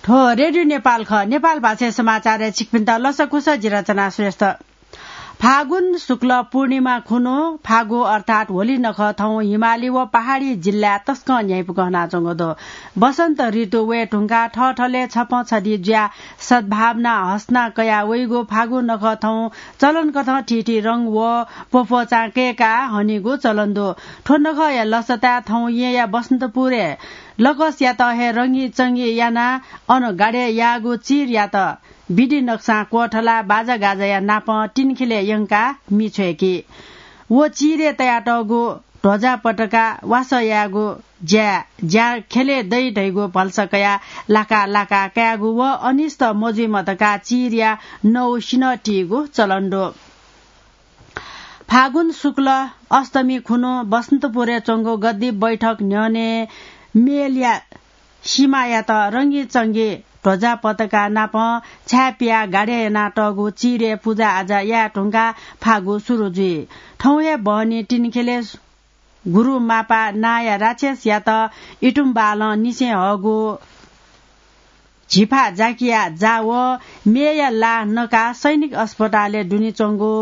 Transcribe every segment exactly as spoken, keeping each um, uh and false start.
थ्व रेडियो नेपाल खः। नेपाल भाषाय् समाचारय् छिकपिन्त लसकुस, जि रचना श्रेष्ठ। फागुन शुक्ल पूर्णिमा खुन्हु फागु अर्थात् होली नखः थौं हिमाली व पहाडी जिल्लाय् तसकं न्ह्याइपुक हनाच्वंगु दु। वसन्त ऋतु वये धुंकाः थःथलय् छपं छधि जुयाः सद्भावना हसना कयाः वइगु फागु नखः थौं चलनकथं थीथी रंग व प्वप्वचां कय्काः हनीगु चलन दु। थ्व नखःया लसताय् थौं येँया बसन्तपुरय् लकसयात हे रंगीचंगी यानाः अन गाडय् याःगु चिरयात विधि नक्सां क्वथलाः बाजागाजाया नापं तिनखिलय् यंकाः मि छ्वय्की। व चिरय् तयातःगु ध्वजा पताका वासः यायेगु ज्या, ज्या ख्यलय् दइ धइगु भलसा कयाः लाका लाका कायेगु व अनिष्ट मजुइमा धकाः चिरया नौ सिन्हः तीगु चलन दु। फागुन शुक्ल अष्टमी खुन्हु बसन्तपुरय् च्वंगु गद्दी बैठक न्ह्यःने मेलया सिमायात रंगीचंगी ध्वजा पताका नापं छाय् पियाः गाडय् यानातःगु चिरय् पुजाआजा याये धुंकाः फागु सुरु जुइ। थौं हे बहनी तिनखिलय् गुरु मापा नांया राक्षसयात इतुम्बालं निसें हःगु झिफा जाकिया जा व मेया ला नकाः सैनिक अस्पतालय् दुने च्वंगु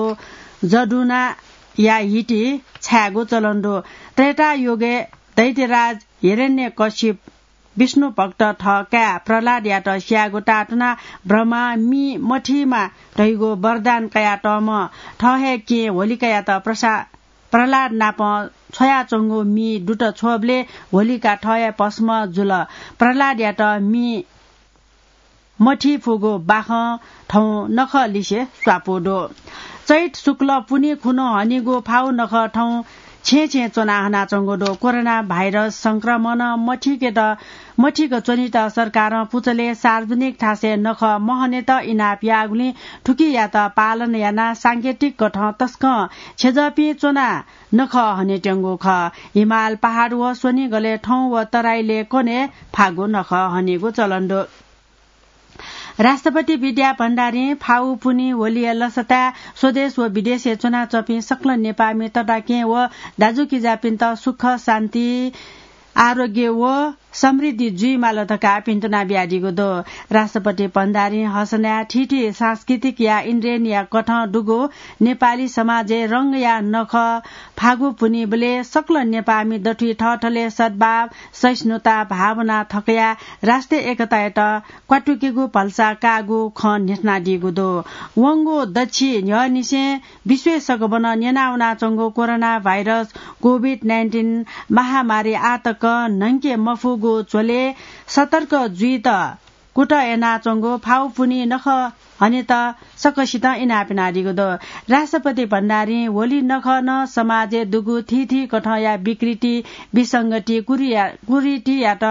जदुनाया हिति छायेगु चलन दु। त्रेतायुगय् दैत्यराज हिरण्यकश्यप विष्णु भक्त थः काय् प्रह्लादयात स्यायेगु तातुनाः ब्रह्मां मि मथीमा धइगु वरदान कयातःम्ह थः हे केहेँ होलिकायात प्रसा-, प्रह्लाद नाप छ्वयाच्वंगु मि दुत छ्वःबलय् होलिका थः हे भस्म जुल। प्रह्लादयात मि मथी फुगु बाखं थौं नखः लिसे स्वापू दु। चैत शुक्ल पुन्हि खुन्हु हनीगु फागु नखः थौं छेँ छेँ च्वना हनाच्वंगु दु। कोरोना भाइरस संक्रमण मथिकेत, मथिक च्वनेत सरकारं पुचलय् सार्वजनिक थासय् नखः महनेत इनाप याःगुलिं थुकियात पालन यानाः सांकेतिक कथं तसकं छेँजःपिं च्वनाः नखः हनेत्यंगु खः। हिमाल, पहाड व स्वनिगलय् थौं व तराईलय् कन्हय् फागु नखः हनेगु चलन दु। राष्ट्रपति विद्या भण्डारीं फागु पुन्हि होलिया लसताय् स्वदेश व विदेशय् च्वनाच्वंपिं सकल नेपाःमि तताकेहेँ व दाजुकिजापिन्त सुख, शान्ति, आरोग्य व समृद्धि जुइमाल धकाः भिन्तुना बियादीगु दु। राष्ट्रपति भण्डारीं हसनाय् थीथी सांस्कृतिकया इन्द्रेणीया कथं दुगु नेपाली समाजय् रंगया नखः फागु पुन्हिबलय् सकल नेपाःमि दथुइ थःथलय् सद्भाव, सहिष्णुता भावना थकयाः राष्ट्रिय एकतायात क्वातुकेगु भलसा काःगु खँ न्ह्यथनादीगु दु। वंगु दच्छि न्ह्यःनिसें विश्वय् सकभनं न्यनावनाच्वंगु कोरोना भाइरस कोभिड नाइन्टिन महामारी आतक न्हंके मफुगु झ्वलय् सतर्क जुइत कुतः यानाच्वंगु फागु पुन्हि नखः हनेत सकसितं इनाप यानादीगु दु। राष्ट्रपति भण्डारीं होली नखः नं समाजय् दुगु थीथी कथंया विकृति, विसंगति, कुरिया-, कुरीतियात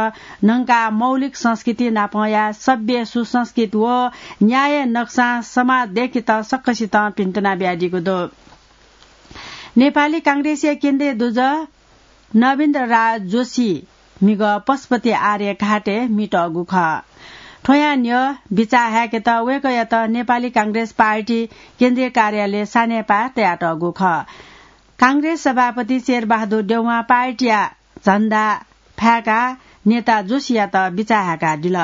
न्हंकाः मौलिक संस्कृति नापंया सभ्य, सुसंस्कृत व न्याय नक्सां समाज दय्केत सकसितं भिन्तुना बियादीगु दु। नेपाली कांग्रेसया केन्द्रीय दुजः नवीन्द्र राज जोशी म्हिगः पशुपति आर्य घाटय् म्हितःगु खः। थ्वयां न्ह्यः बिचाः हाय्केत वय्कःयात नेपाली कांग्रेस पार्टी केन्द्रीय कार्यालयय् सानेपाः तयातःगु खः। कांग्रेस सभापति शेरबहादुर देउवां पार्टीया झण्डा फाय्काः नेता जोशीयात बिचाः हाय्कादिल।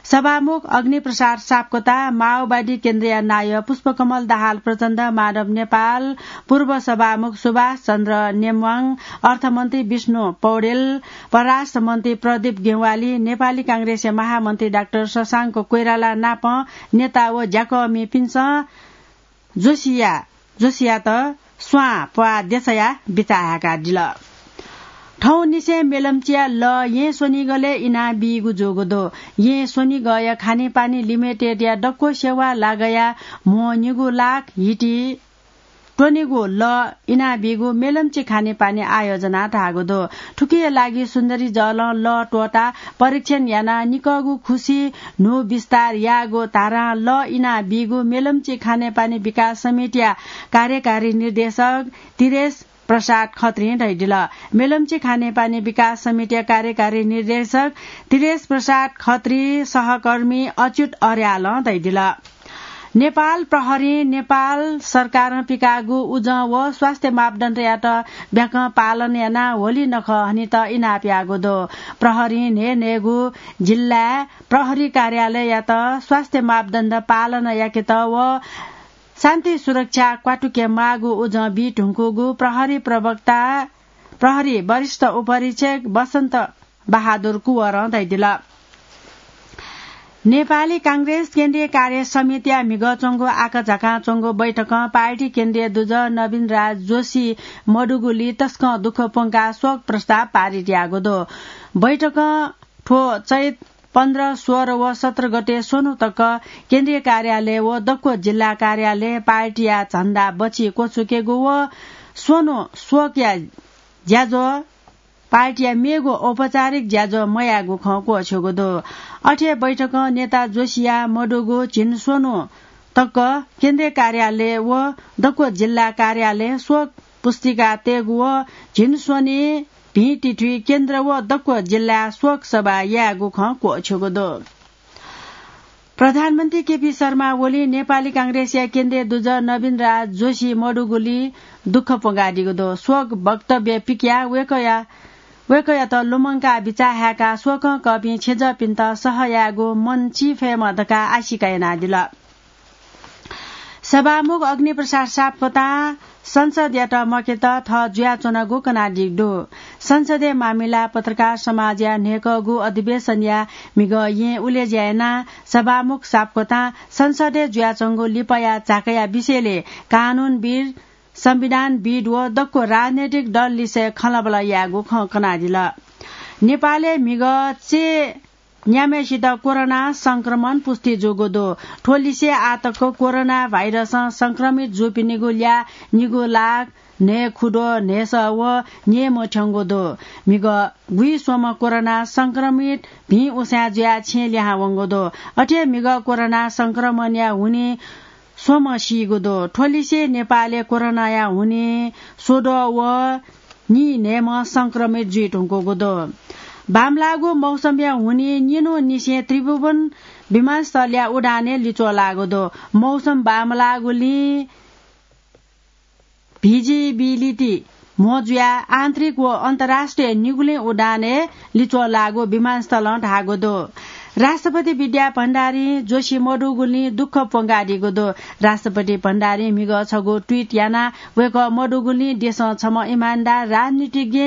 सभामुख अग्निप्रसाद सापकोटा, माओवादी केन्द्रया नायः पुष्पकमल दाहाल प्रचण्ड, माधव नेपाल, पूर्व सभामुख सुभाष चन्द्र नेम्वाङ, अर्थमन्त्री विष्णु पौडेल, परराष्ट्र मन्त्री प्रदीप ज्ञवाली, नेपाली कांग्रेसया महामन्त्री डाक्टर शशांक कोइराला नापं नेता व ज्याकःमिपिन्सं जोशीया, जोशीयात स्वां प्वाः देछायाः बिचाः हाय्कादिल। थौंनिसें मेलम्चीया लः येँ स्वनिगलय् इनाबीगु जूगु दु। येँ स्वनिगःया खानेपानी लिमिटेडया दक्व सेवा लागाया म्हो निगू लाख हिति त्वनेगु लः इनाबीगु मेलम्ची खानेपानी आयोजनां धाःगु दु। थुकिया लागि सुन्दरी जलं लः त्वःताः परीक्षण यानाः निकःगु खुसी न्हू विस्तार याःगु धारां लः इनाबीगु मेलम्ची खानेपानी विकास समितिया कार्यकारी निर्देशक तिरेश प्रसाद खत्रीं धयादिल। मेलम्ची खानेपानी विकास समितिया कार्यकारी निर्देशक तिरेश प्रसाद खत्री सहकर्मी अच्युत अर्यालं धयादिल। नेपाल प्रहरीं नेपाल सरकारं पिकाःगु उजं व स्वास्थ्य मापदण्डयात ब्याकं पालन यानाः होली नखः हनेत इनाप याःगु दु। प्रहरीं न्हय्न्हय्गू जिल्लाय् प्रहरी कार्यालययात स्वास्थ्य मापदण्ड पालन याकेत व शान्ति सुरक्षा क्वातुके माःगु उजं बी धुंकूगु प्रहरी प्रवक्ता, प्रहरी वरिष्ठ उपरीक्षक बसन्त बहादुर कुँवरं धयादिल। नेपाली कांग्रेस केन्द्रीय कार्य समितिया म्हिगः च्वंगु आकाझाकां च्वंगु बैठकं पार्टी केन्द्रीय दुजः नवीन राज जोशी मदुगुलिइ तसकं दुःख प्वंकाः शोक प्रस्ताव पारित याःगु दु। बैठकं थ्व चैत पन्ध्र, सोह्र व सत्र गते स्वन्हु तक केन्द्रीय कार्यालय व दक्व जिल्ला कार्यालय पार्टीया झण्डा बची क्वछुकेगु व स्वन्हु शोकया ज्याझ्वः पार्टीया मेगु औपचारिक ज्याझ्वः मयायेगु खँ क्वःछ्यूगु दु। अथे बैठकं नेता जोशीया मदुगु झिंस्वन्हु तक केन्द्रीय कार्यालय व दक्व जिल्ला कार्यालय शोक पुस्तिका तयेगु व झिंस्वन्हु भिंतिथुइ केन्द्र व दक्व जिल्लाय् शोक सभा यायेगु खँ क्वःछ्यूगु दु। प्रधानमन्त्री केपी शर्मा ओलीं नेपाली कांग्रेसया केन्द्रीय दुजः नवीन राज जोशी मदुगुलिइ दुःख प्वंकादीगु दु। शोक वक्तव्य पिकयाः वय्कःया, वय्कःयात लुमंकाः बिचाः हाय्काः शोकं कःपिं छेँजःपिन्त सह यायेगु मन चिफयेमा धकाः आशिका यानादिल। सभामुख अग्निप्रसाद सापकोटां संसदयात मखेत थः जुयाच्वनागु कनादीगु दु। संसदीय मामिला पत्रकार समाजया न्हय्कःगु अधिवेशनया म्हिगः येँ उलेज्या यानाः सभामुख सापकोटां संसदय् जुयाच्वंगु लिपाया झाकाया विषयलय् कानूनविद्, संविधानविद् व दक्व राजनैतिक दल लिसे खँल्हाबल्हा यायेगु खँ कनादिल। नेपालय् म्हिगः चय् न्याम्हय्सित कोरोना संक्रमण पुष्टि जूगु दु। थ्व लिसे आःतक कोरोना भाइरसं संक्रमित जूपिनिगु ल्याः निगू लाख न्हय्खुद्वः न्हय्सः व न्यय्म्ह थ्यंगु दु। म्हिगः गुइस्वम्ह कोरोना संक्रमित भिं उसाँय् जुयाः छेँ लिहां वंगु दु। अथे म्हिगः कोरोना संक्रमणया हुनिं स्वम्ह सीगु दु। थ्व लिसे नेपालय् कोरोनाया हुनिं स्वद्वः व नीन्हय्म्ह संक्रमित जुइधुंकूगु दु। बांमलाःगु मौसमया हुनिं निन्हुंनिसें त्रिभुवन विमानस्थलया उडानय् लिच्वः लाःगु दु। मौसम बांमलाःगुलिं visibility म्हो जुयाः आन्तरिक व अन्तर्राष्ट्रिय निगुलिं उडानय् लिच्वः लाःगु विमानस्थलं धाःगु दु। राष्ट्रपति विद्या भण्डारीं जोशी मदुगुलिं दुःख प्वंकादीगु दु। राष्ट्रपति भण्डारीं म्हिगः छगू tweet यानाः वय्कः मदुगुलिं देशं छम्ह इमानदार राजनीतिज्ञ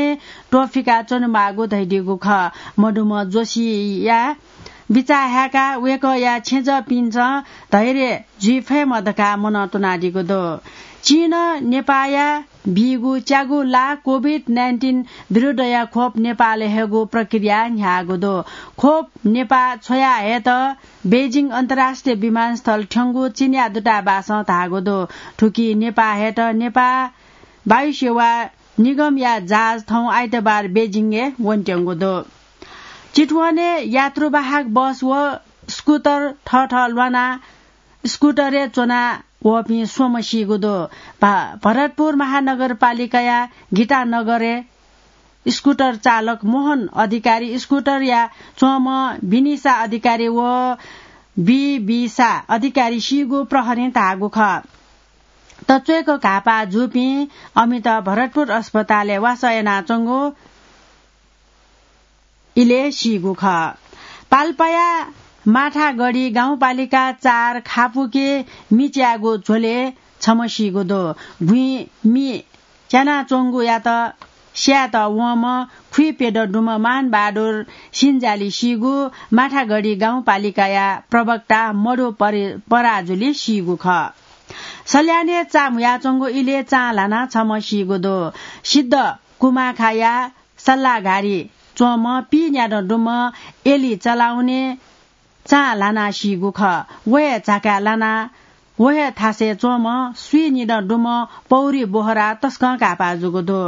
त्वःफिका च्वनेमाःगु धयादीगु खः। मदुम्ह जोशीया बिचाः हाय्काः वय्कःया छेँजःपिन्सं धैर्य जुइ फयेमा धकाः मनं त्वनादीगु दु। चीनं नेपाःया बीगु च्यागू लाख COVID nineteen विरुद्धया खोप नेपालय् हयेगु प्रक्रिया न्ह्याःगु दु। खोप नेपाः छ्वया हयेत बेजिङ अन्तर्राष्ट्रिय विमानस्थल थ्यंगु चीनया दूतावासं धाःगु दु। थुकी नेपाः हयेत नेपाः वायुसेवा निगमया जहाज थौं आइतबार बेजिङय् वनेत्यंगु दु। चितवनय् यात्रुवाहक बस व स्कुटर थःथः ल्वानाः स्कुटरय् च्वना वःपिं स्वम्ह सीगु दु। भा-, भरतपुर महानगरपालिकाया गीतानगरय् स्कुटर चालक मोहन अधिकारी, स्कुटरया च्वंम्ह बिनिसा अधिकारी व बिबिसा अधिकारी सीगु प्रहरीं धाःगु खः। तच्वय्क घाःपाः जूपिं अमित भरतपुर अस्पतालय् वासः यानाच्वंगु इलय् सीगु खः। पाल्पाया माठागढी गाउँपालिका चार खापुके मि च्यायेगु झ्वलय् छम्ह सीगु दु। गुँइ मि च्यानाच्वंगुयात स्यायेत वंम्ह खुइप्यदँ दुम्ह मानबहादुर सिन्जाली सीगु माठागढी गाउँपालिकाया प्रवक्ता मधु परि-, पराजुली सीगु खः। सल्यानय् चा म्हुयाच्वंगु इलय् चां ल्हानाः छम्ह सीगु दु। सिद्ध कुमाखाया सल्लाघारी च्वंम्ह पीन्यादँ दुम्ह एली चलाउने चां ल्हानाः सीगु खः। व हे झाकाय् लानाः व हे थासय् च्वंम्ह स्वीनिदँ दुम्ह पौरी बोहरा तसकं घाःपाः जूगु दु।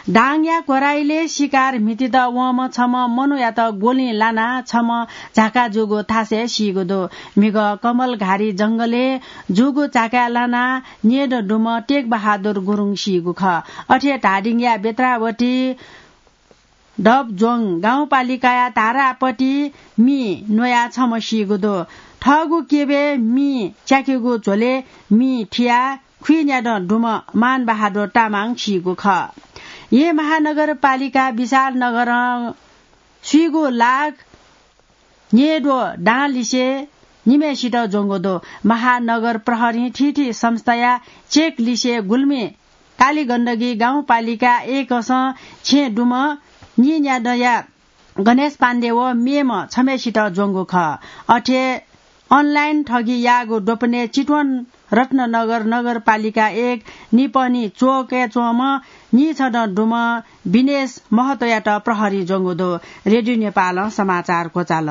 दाङया क्वराइलय् शिकार म्हितीत वंम्ह छम्ह मनूयात गोलिं लानाः छम्ह झाका जूगु थासय् सीगु दु। म्हिगः कमलघारी जंगलय् जूगु झाकाय् लानाः न्येदँ दुम्ह टेकबहादुर गुरुङ सीगु खः। अथे धादिङया बेत्रावती दबज्वङ गाउँपालिकाया धारापति मि न्वया छम्ह सीगु दु। थःगु केबे मि च्याकेगु झ्वले मि थिया खुइन्यादँ दुम्ह मानबहादुर तामाङ सीगु खः। येँ महानगरपालिका विशालनगरं स्वीगु लाख न्येद्वः दां लिसे निम्हय्सित ज्वंगु दु। महानगर प्रहरीं थीथी संस्थाया चेक लिसे गुल्मी कालीगण्डकी गाउँपालिका एकसं छेँ दुम्ह नीन्यादँया गणेश पाण्डे व मेम्ह छम्हय्सित ज्वंगु खः। अथे अनलाइन ठगी याःगु द्वपनय् चितवन रत्ननगर नगरपालिका एक निपहनी चोकय् च्वंम्ह नीछदँ दुम्ह विनेश महतोयात प्रहरीं ज्वंगु दु। रेडियो नेपालं समाचार क्वचाल।